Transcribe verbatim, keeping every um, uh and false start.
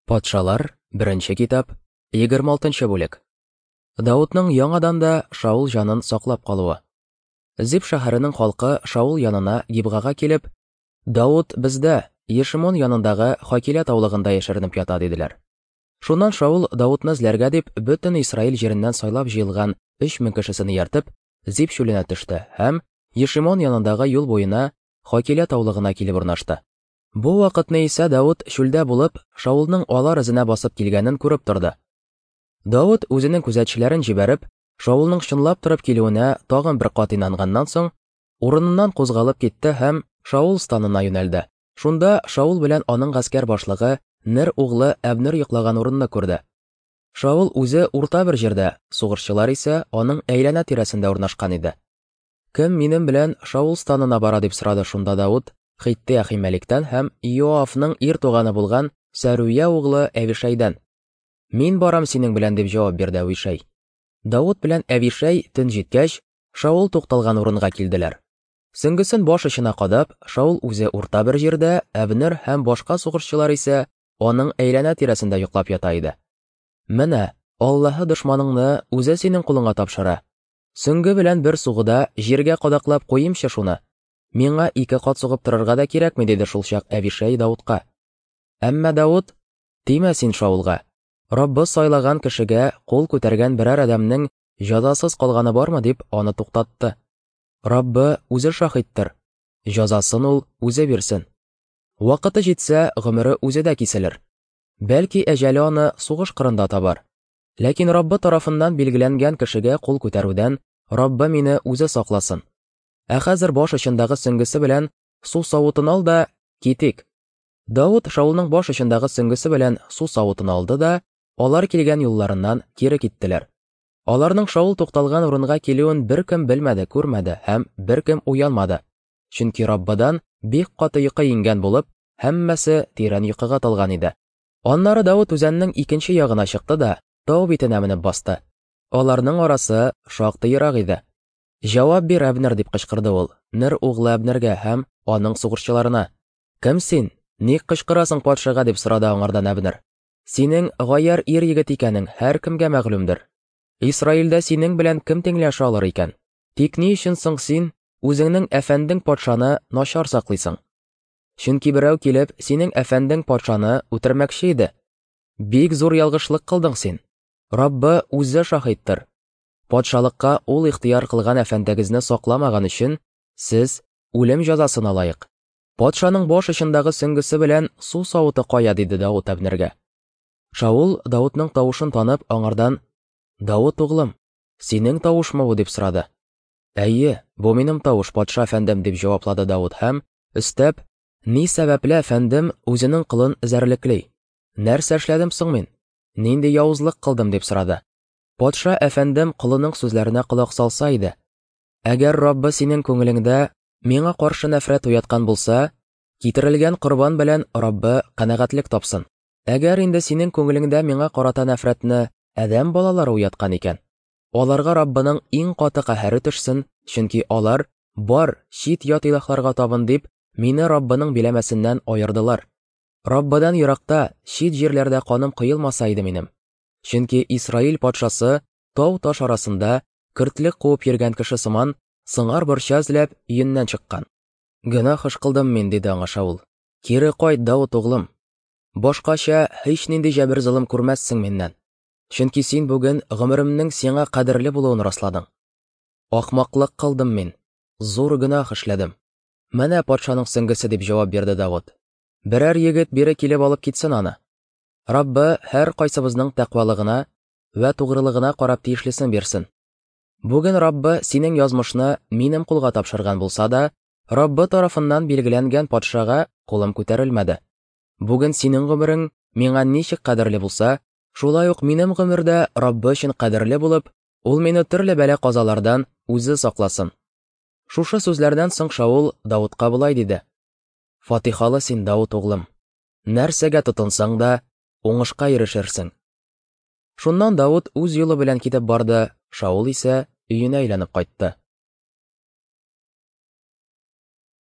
Патшалар, беренче китап, егерме алтынчы бүлек. Даутның яңадан да Шаул җанын саклап калуы. Зип шәһәренең халкы Шаул янына Гибгага килеп, «Даут бездә, Ешимон янындагы Хакилә таулыгында яшеренеп ята», диделәр. Шуннан Шаул Даутны эзләргә дип, бөтен Исраил җиреннән сайлап җыелган өч мең кешесен ияртеп, Зип чүленә төште һәм Ешимон янындагы юл буена Хакилә таулыгына килеп урнашты. Бу вакытны исә Даут чүлдә булып, Шаулның алар эзенә басып килгәнен күреп торды. Даут үзенең күзәтчеләрен җибәреп, Шаулның чынлап торып килүенә тагын бер кат инанганнан соң, урыныннан кузгалып китте һәм Шаул станына юнәлде. Шунда Шаул белән аның гаскәр башлыгы Нер углы Әбнер йоклаган урынны күрде. Шаул үзе урта бер җирдә, сугышчылар исә аның әйләнә тирәсендә урнашкан иде. Кем минем белән Шаул станына бара дип сорады шунда Даут Хитте Ахимәликтән һәм Иоафның ир туганы булган Сәрүя углы Әвишәйдән. Мин барам синең белән дип җавап бирде Әвишәй. Даут белән Әвишәй төн җиткәч, Шаул тукталган урынга килделәр. Сөңгесен баш очына кадап, Шаул үзе урта бер җирдә, Әбнер һәм башка сугышчылар исә аның әйләнә тирәсендә йоклап ята иде. Менә, Аллаһы дошманыңны үзе синең кулыңа тапшыра. Сөңге белән бер сугуда җиргә кадаклап куйымчы шуны. Миңа ике кат сугып торырга да кирәкми, диде шулчак Әвишәй Даутка. Әмма Даут, тимә син Шаулга. Раббы сайлаган кешегә кул күтәргән берәр адәмнең җәзасыз калганы бармы дип аны туктатты. Раббы үзе шаһиттыр. Җәзасын ул үзе бирсен. Вакыты җитсә, гомере үзе дә киселер. Бәлки әҗәле аны сугыш кырында табар. Ләкин Раббы тарафыннан билгеләнгән кешегә кул күтәрүдән Раббы мине үзе сакласын. Ә хәзер баш очындагы сөңгесе белән су савытын ал да китик. Даут Шаулның баш очындагы сөңгесе белән су савытын алды да, алар килгән юлларыннан кире киттеләр. Аларның Шаул тукталган урынга килүен беркем белмәде, күрмәде һәм беркем уянмады. Чөнки Раббыдан бик каты йокы иңгән булып, һәммәсе тирән йокыга талган иде. Аннары Даут үзәннең икенче ягына чыкты да, тау битенә менеп басты. Аларның арасы шактый ерак иде. Җавап бир, Әбнер, дип кычкырды ул, Нер углы Әбнергә һәм аның сугышчыларына. Кем син? Ник кычкырасың патшага, дип сорады аңардан Әбнер. Синең гаяр ир егет икәнең һәркемгә мәгълүмдер. Исраилдә синең белән кем тиңләшә алыр икән? Тик ни өчен соң син үзеңнең әфәндең патшаны начар саклыйсың? Чөнки берәү килеп синең әфәндең патшаны үтермәкче иде. Бик зур ялгышлык кылдың син. Раббы үзе шаһиттыр. Патшалыкка ул ихтыяр кылган әфәндегезне сакламаган өчен сез үлем җәзасына лаек. Патшаның баш очындагы сөңгесе белән су савыты кая, диде Даут Әбнергә. Шаул Даутның тавышын танып, аңардан: "Даут углым, синең тавышмы бу?" дип сорады. Әйе, бу минем тавыш, патша әфәндем, дип җаваплады Даут һәм өстәп: "Ни сәбәпле әфәндем үзенең кылын эзәрлекли? Нәрсә эшләдем соң мин? Нинди явызлык кылдым?" дип сорады. Патша әфәндем колының сүзләренә колак салса иде. Әгәр Раббы синең күңелеңдә миңа каршы нәфрәт уяткан булса, китерелгән корбан белән Раббы канәгатьлек тапсын. Әгәр инде синең күңелеңдә миңа карата нәфрәтне адәм балалары уяткан икән, аларга Раббының иң каты каһәре төшсен, чөнки алар бар чит ят илаһларга табын дип мине Раббының биләмәсеннән аердылар. Раббыдан еракта, чит җирләрдә каным коелмаса иде минем. Чөнки Исраил патшасы тау-таш арасында көртлек куып йөргән кеше сыман сыңар борча эзләп өеннән чыккан. Гөнаһ эш кылдым мин, диде аңа Шаул. Кире кайт, Даут углым. Башкача һич нинди җәбер-золым күрмәссең миннән. Чөнки син бүген гомеремнең сиңа кадерле булуын расладың. Ахмаклык кылдым мин, зур гөнаһ эшләдем. Менә патшаның сөңгесе, дип җавап бирде Даут. Берәр егет бире килеп алып китсен аны. Раббы һәр кайсыбызның тәкъвалыгына вә тугрылыгына карап тиешлесен бирсен. Бүген Раббы синең язмышны минем кулга тапшырган булса да, Раббы тарафыннан билгеләнгән патшага кулым күтәрелмәде. Бүген синең гомерең миңа ничек кадерле булса, шулай ук минем гомер дә Раббы өчен кадерле булып, ул мине төрле бәла-казалардан үзе сакласын. Шушы сүзләрдән соң Шаул Даутка болай диде: Фатихалы син, Даут углым. Нәрсәгә тотынсаң да, уңышка ирешерсең. Шуннан Даут үз юлы белән китеп барды, Шаул исә өенә әйләнеп кайтты.